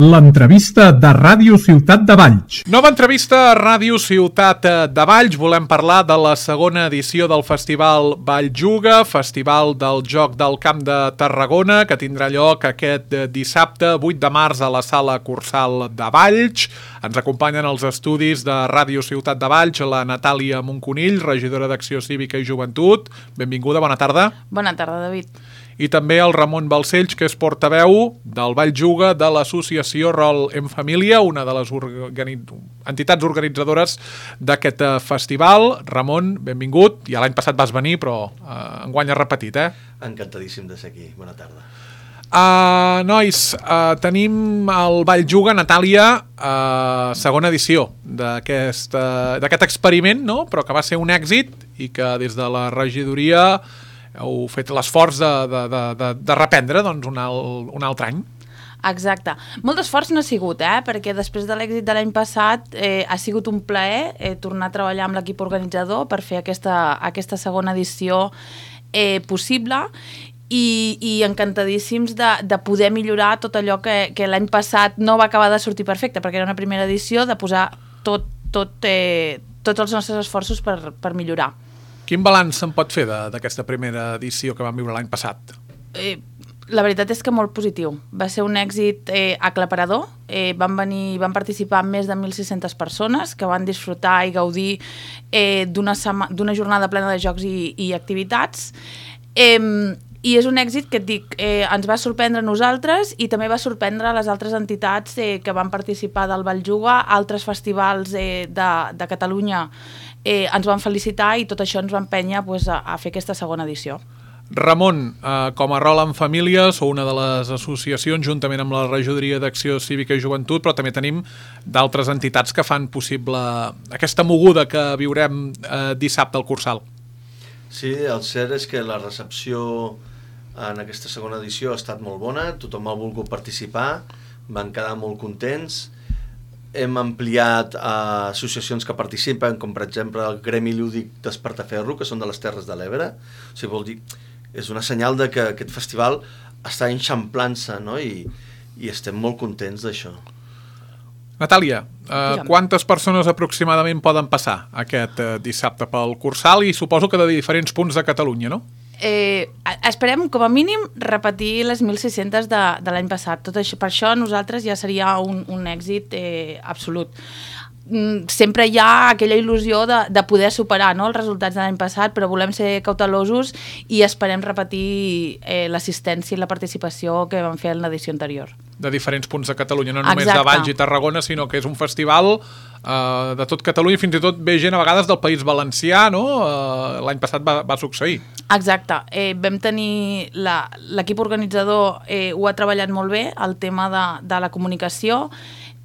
L'entrevista de Ràdio Ciutat de Valls. Nova entrevista a Ràdio Ciutat de Valls. Volem parlar de la segona edició del Festival Valljuga, Festival del Joc del Camp de Tarragona, que tindrà lloc aquest dissabte 8 de març a la Sala Cursal de Valls. Ens acompanyen els estudis de Ràdio Ciutat de Valls la Natàlia Monconill, regidora d'Acció Cívica i Joventut. Benvinguda, bona tarda. Bona tarda, David. I també el Ramon Balcells, que és portaveu del Valljuga de l'associació Rol en Família, una de les entitats organitzadores d'aquest festival. Ramon, benvingut. Ja l'any passat vas venir, però enguany has repetit, Encantadíssim de ser aquí. Bona tarda. Nois, tenim el Valljuga, Natàlia, segona edició d'aquest experiment, no? Però que va ser un èxit i que des de la regidoria heu fet l'esforç de reprendre un altre any. Exacte. Molt d'esforç no ha sigut, perquè després de l'èxit de l'any passat ha sigut un plaer tornar a treballar amb l'equip organitzador per fer aquesta segona edició possible i encantadíssims de poder millorar tot allò que l'any passat no va acabar de sortir perfecte, perquè era una primera edició, de posar tots els nostres esforços per millorar. Quin balanç se'n pot fer d'aquesta primera edició que vam viure l'any passat? La veritat és que molt positiu. Va ser un èxit aclaparador. Van participar més de 1.600 persones que van disfrutar i gaudir d'una jornada plena de jocs i activitats. I és un èxit que et dic, ens va sorprendre a nosaltres i també va sorprendre a les altres entitats que van participar del Valljuga, altres festivals de Catalunya ens van felicitar i tot això ens va empènyer a fer aquesta segona edició. Ramon, com a Rol en Família, sou una de les associacions juntament amb la regidoria d'Acció Cívica i Joventut, però també tenim d'altres entitats que fan possible aquesta moguda que viurem dissabte al Cursal. Sí, el cert és que la recepció en aquesta segona edició ha estat molt bona, tothom ha volgut participar, van quedar molt contents. Hem ampliat associacions que participen, com per exemple el Gremi Lúdic d'Espartaferro, que són de les Terres de l'Ebre. O sigui, vol dir, és una senyal de que aquest festival està enxamplant-se, no? I estem molt contents d'això. Natàlia, quantes persones aproximadament poden passar aquest dissabte pel Cursal i suposo que de diferents punts de Catalunya, no? Esperem com a mínim repetir les 1.600 de l'any passat. Tot això, per això nosaltres ja seria un èxit absolut. Sempre hi ha aquella il·lusió de poder superar, no, els resultats de l'any passat, però volem ser cautelosos i esperem repetir l'assistència i la participació que vam fer en l'edició anterior. De diferents punts de Catalunya, no només de Valls i Tarragona, sinó que és un festival de tot Catalunya, fins i tot ve gent a vegades del País Valencià, no? L'any passat va succeir. Exacte. Vam tenir l'equip organitzador ho ha treballat molt bé, el tema de la comunicació.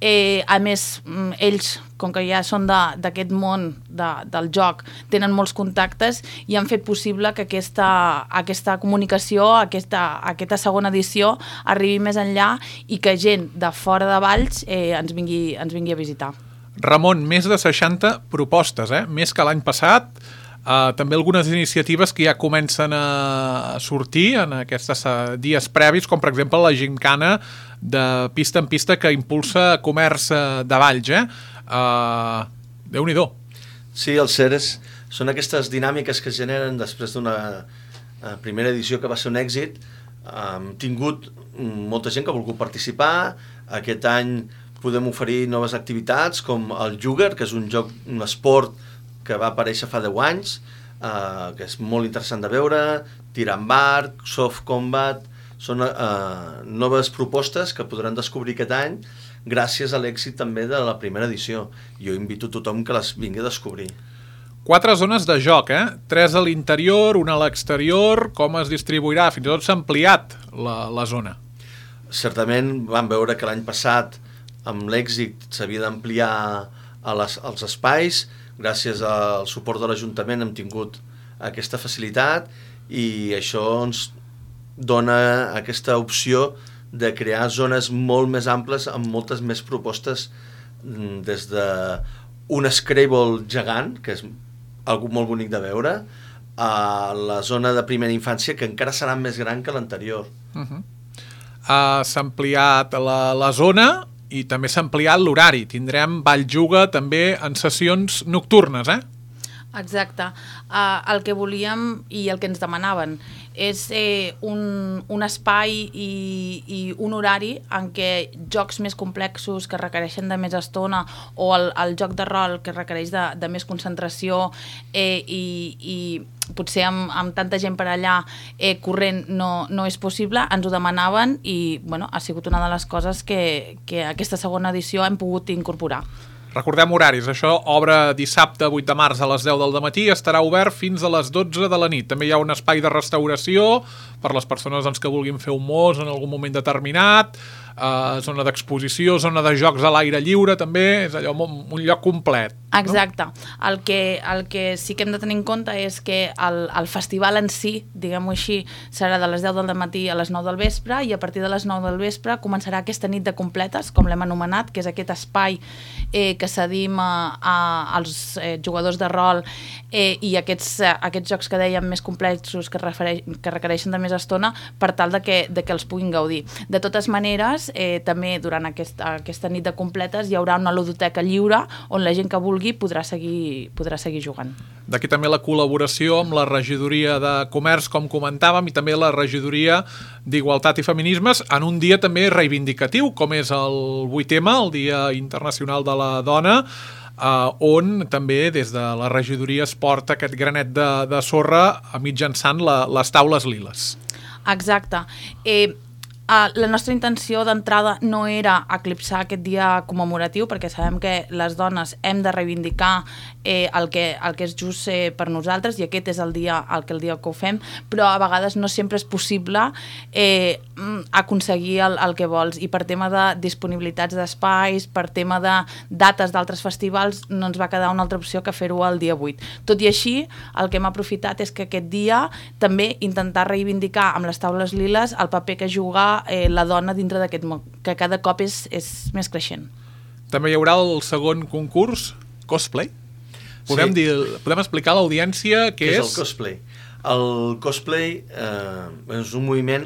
A més, ells, com que ja són d'aquest món del joc, tenen molts contactes i han fet possible que aquesta comunicació, aquesta segona edició arribi més enllà i que gent de fora de Valls ens vingui a visitar. Ramon, més de 60 propostes, més que l'any passat. També algunes iniciatives que ja comencen a sortir en aquests dies previs, com per exemple la gincana de pista en pista que impulsa Comerç de Valls. Déu-n'hi-do. Sí, el cert són aquestes dinàmiques que es generen després d'una primera edició que va ser un èxit. Hem tingut molta gent que ha volgut participar. Aquest any podem oferir noves activitats com el Jugar, que és un esport que va aparèixer fa 10 anys, que és molt interessant de veure, tir amb arc, soft combat. Són noves propostes que podran descobrir aquest any gràcies a l'èxit també de la primera edició. Jo invito a tothom que les vingui a descobrir. 4 zones de joc, 3 a l'interior, 1 a l'exterior. Com es distribuirà? Fins i tot s'ha ampliat la zona. Certament vam veure que l'any passat amb l'èxit s'havia d'ampliar als espais. Gràcies al suport de l'Ajuntament hem tingut aquesta facilitat i això ens dona aquesta opció de crear zones molt més amples amb moltes més propostes, des d'un Scrabble gegant, que és algo molt bonic de veure, a la zona de primera infància, que encara serà més gran que l'anterior. s'ha ampliat la zona i també s'ha ampliat l'horari. Tindrem Valljuga també en sessions nocturnes, Exacte. El que volíem i el que ens demanaven és un espai i un horari en què jocs més complexos que requereixen de més estona o el joc de rol que requereix de més concentració i potser amb tanta gent per allà corrent no és possible, ens ho demanaven i ha sigut una de les coses que aquesta segona edició hem pogut incorporar. Recordem horaris, això obre dissabte 8 de març a les 10 del matí i estarà obert fins a les 12 de la nit. També hi ha un espai de restauració per les persones que vulguin fer un mos en algun moment determinat, zona d'exposició, zona de jocs a l'aire lliure, també és allò un lloc complet. Exacte. No? El que sí que hem de tenir en compte és que el festival en si, diguem-ho així, serà de les 10 del matí a les 9 del vespre i a partir de les 9 del vespre començarà aquesta nit de completes, com l'hem anomenat, que és aquest espai que cedim als jugadors de rol i aquests jocs que dèiem més complexos que requereixen de més estona per tal de que els puguin gaudir. De totes maneres, també durant aquesta nit de completes hi haurà una ludoteca lliure on la gent que vulgui podrà seguir jugant. D'aquí també la col·laboració amb la regidoria de comerç, com comentàvem, i també la regidoria d'Igualtat i Feminismes en un dia també reivindicatiu, com és el 8M, el Dia Internacional de la Dona, on també des de la regidoria es porta aquest granet de sorra mitjançant les taules liles. Exacte. La nostra intenció d'entrada no era eclipsar aquest dia commemoratiu perquè sabem que les dones hem de reivindicar el que és just per nosaltres i aquest és el dia que ho fem, però a vegades no sempre és possible aconseguir el que vols i per tema de disponibilitats d'espais, per tema de dates d'altres festivals no ens va quedar una altra opció que fer-ho el dia 8. Tot i així, el que hem aprofitat és que aquest dia també intentar reivindicar amb les taules liles el paper que juga la dona dintre d'aquest món, que cada cop és més creixent. També hi haurà el segon concurs, cosplay? Podem explicar a l'audiència què és? El cosplay? El cosplay és un moviment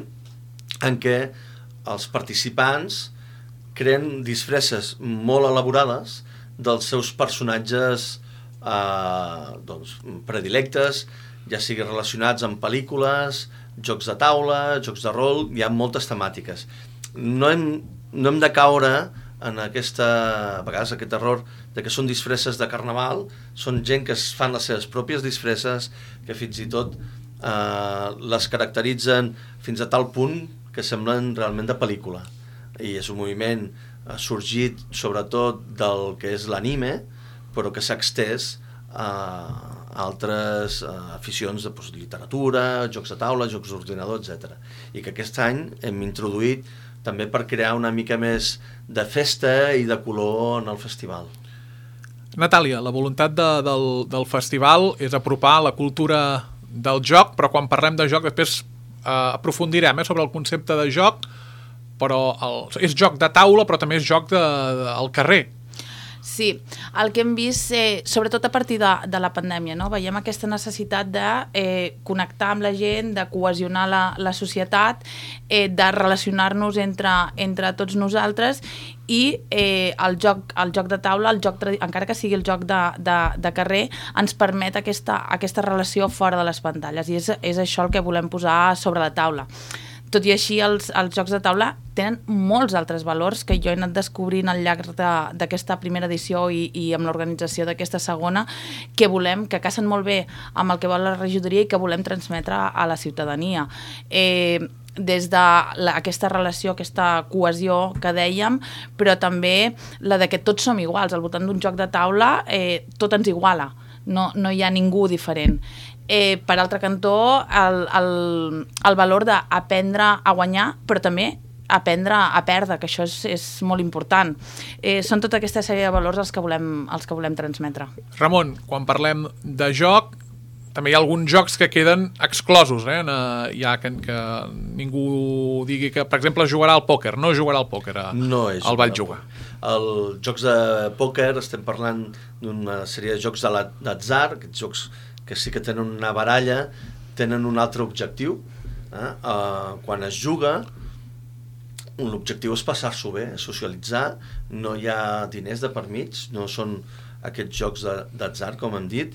en què els participants creen disfresses molt elaborades dels seus personatges predilectes, ja sigui relacionats amb pel·lícules, jocs de taula, jocs de rol, hi ha moltes temàtiques. No hem de caure en a vegades aquest error de que són disfresses de carnaval, són gent que es fan les seves pròpies disfresses, que fins i tot les caracteritzen fins a tal punt que semblen realment de pel·lícula. I és un moviment sorgit sobretot del que és l'anime, però que s'ha extès a altres aficions de literatura, jocs de taula, jocs d'ordinador, etc. I que aquest any hem introduït també per crear una mica més de festa i de color en el festival. Natàlia, la voluntat del festival és apropar la cultura del joc, però quan parlem de joc després aprofundirem sobre el concepte de joc, però és joc de taula però també és joc al carrer. Sí, el que hem vist, sobretot a partir de la pandèmia, no? Veiem aquesta necessitat de connectar amb la gent, de cohesionar la societat, de relacionar-nos entre tots nosaltres i el joc de taula, encara que sigui el joc de carrer, ens permet aquesta relació fora de les pantalles i és això el que volem posar sobre la taula. Tot i així, els jocs de taula tenen molts altres valors que jo he anat descobrint al llarg d'aquesta primera edició i amb l'organització d'aquesta segona, que casen molt bé amb el que vol la regidoria i que volem transmetre a la ciutadania. Des d'aquesta relació, aquesta cohesió que dèiem, però també la de que tots som iguals. Al voltant d'un joc de taula tot ens iguala, no hi ha ningú diferent. Per altre cantó, el valor d'aprendre a guanyar, però també aprendre a perdre, que això és molt important. Són tota aquesta sèrie de valors els que volem transmetre. Ramon, quan parlem de joc, també hi ha alguns jocs que queden exclosos, ja que ningú digui que, per exemple, jugarà al pòquer. No jugarà al pòquer al Valljuga. Els jocs de pòquer, estem parlant d'una sèrie de jocs d'atzar, aquests jocs que sí que tenen una baralla, tenen un altre objectiu. Quan es juga, l'objectiu és passar-s'ho bé, socialitzar, no hi ha diners de per mig, no són aquests jocs d'atzar, com hem dit.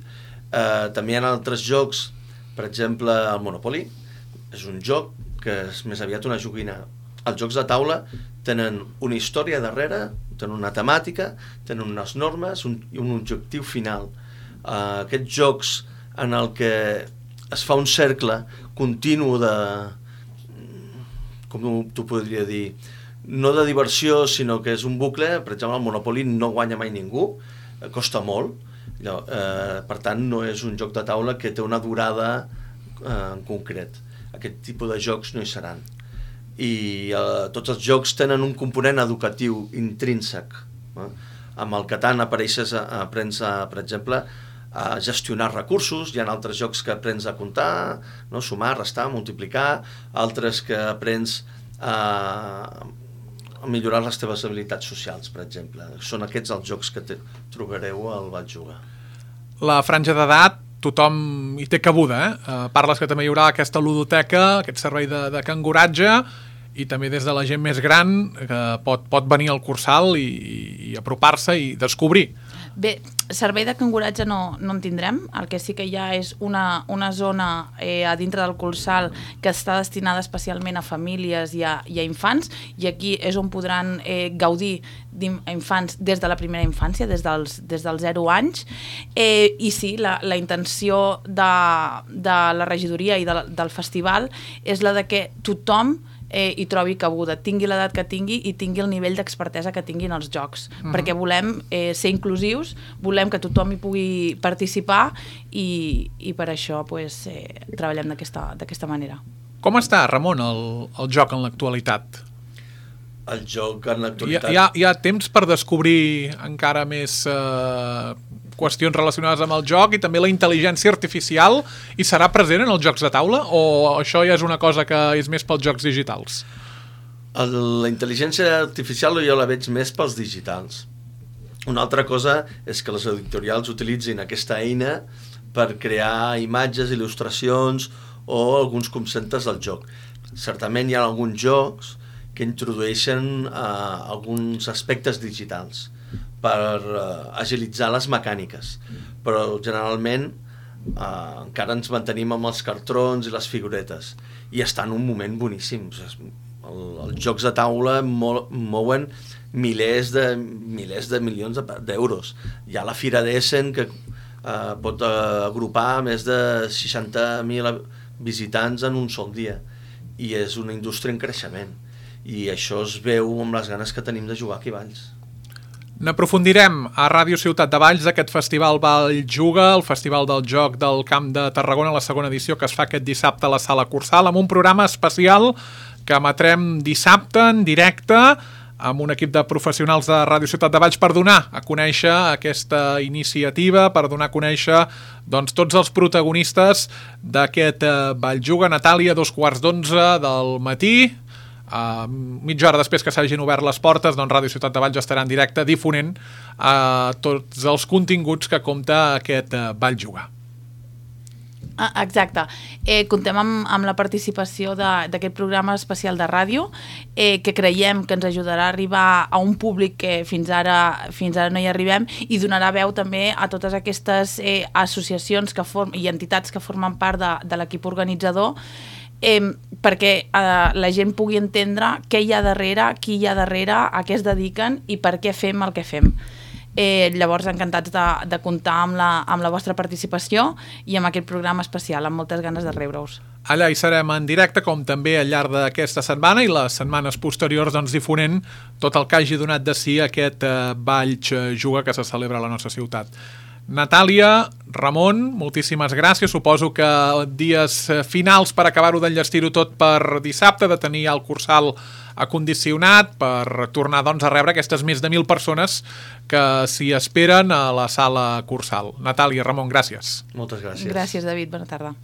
També hi ha altres jocs, per exemple, el Monopoly, és un joc que és més aviat una joguina. Els jocs de taula tenen una història darrere, tenen una temàtica, tenen unes normes i un objectiu final. Aquests jocs en el que es fa un cercle continu de, com t'ho podria dir, no de diversió, sinó que és un bucle. Per exemple, el Monopoly no guanya mai ningú, costa molt, per tant no és un joc de taula que té una durada en concret. Aquest tipus de jocs no hi seran. I tots els jocs tenen un component educatiu intrínsec. Amb el Catan aprens, per exemple, a gestionar recursos. Hi ha altres jocs que aprens a comptar, no? Sumar, restar, multiplicar, altres que aprens a millorar les teves habilitats socials, per exemple. Són aquests els jocs que trobareu al Val Juga. La franja d'edat, tothom hi té cabuda, Parles que també hi haurà aquesta ludoteca, aquest servei de canguratge, i també des de la gent més gran que pot venir al Cursal i apropar-se i descobrir. Bé, servei de canguratge no en tindrem. El que sí que hi ha és una zona a dintre del Cursal que està destinada especialment a famílies i a infants, i aquí és on podran gaudir d'infants des de la primera infància, des dels 0 anys. I sí, la intenció de la regidoria i del festival és la de que tothom hi trobi cabuda, tingui l'edat que tingui i tingui el nivell d'expertesa que tinguin els jocs, perquè volem ser inclusius, volem que tothom hi pugui participar i per això treballem d'aquesta manera. Com està, Ramon, el joc en l'actualitat? El joc en l'actualitat... Hi ha temps per descobrir encara més qüestions relacionades amb el joc, i també la intel·ligència artificial hi serà present en els jocs de taula, o això ja és una cosa que és més pels jocs digitals? La intel·ligència artificial jo la veig més pels digitals. Una altra cosa és que les editorials utilitzin aquesta eina per crear imatges, il·lustracions o alguns conceptes del joc. Certament hi ha alguns jocs que introdueixen alguns aspectes digitals per agilitzar les mecàniques, però generalment encara ens mantenim amb els cartrons i les figuretes, i està en un moment boníssim. Els jocs de taula mouen milers de milions d'euros. Hi ha la Fira d'Essen que pot agrupar més de 60.000 visitants en un sol dia, i és una indústria en creixement, i això es veu amb les ganes que tenim de jugar aquí a Valls. N'aprofundirem a Ràdio Ciutat de Valls d'aquest festival Val Juga, el Festival del Joc del Camp de Tarragona, la segona edició que es fa aquest dissabte a la Sala Cursal, amb un programa especial que emetrem dissabte en directe amb un equip de professionals de Ràdio Ciutat de Valls per donar a conèixer aquesta iniciativa, per donar a conèixer tots els protagonistes d'aquest Val Juga. Natàlia, 11:15 del matí, mitja hora després que s'hagin obert les portes, Ràdio Ciutat de Valls estarà en directe difonent tots els continguts que compta aquest Val Juga. Exacte. Contem amb la participació d'aquest programa especial de ràdio, que creiem que ens ajudarà a arribar a un públic que fins ara no hi arribem, i donarà veu també a totes aquestes associacions i entitats que formen part de l'equip organitzador, perquè la gent pugui entendre què hi ha darrere, qui hi ha darrere, a què es dediquen i per què fem el que fem. Llavors, encantats de comptar amb la vostra participació i amb aquest programa especial, amb moltes ganes de rebre-us. Allà hi serem en directe, com també al llarg d'aquesta setmana i les setmanes posteriors, difonent tot el que hagi donat de si aquest Val Juga que se celebra a la nostra ciutat. Natàlia, Ramon, moltíssimes gràcies. Suposo que dies finals per acabar-ho d'enllestir-ho tot per dissabte, de tenir el Cursal acondicionat per tornar a rebre aquestes més de 1.000 persones que s'hi esperen a la Sala Cursal. Natàlia, Ramon, gràcies. Moltes gràcies. Gràcies, David. Bona tarda.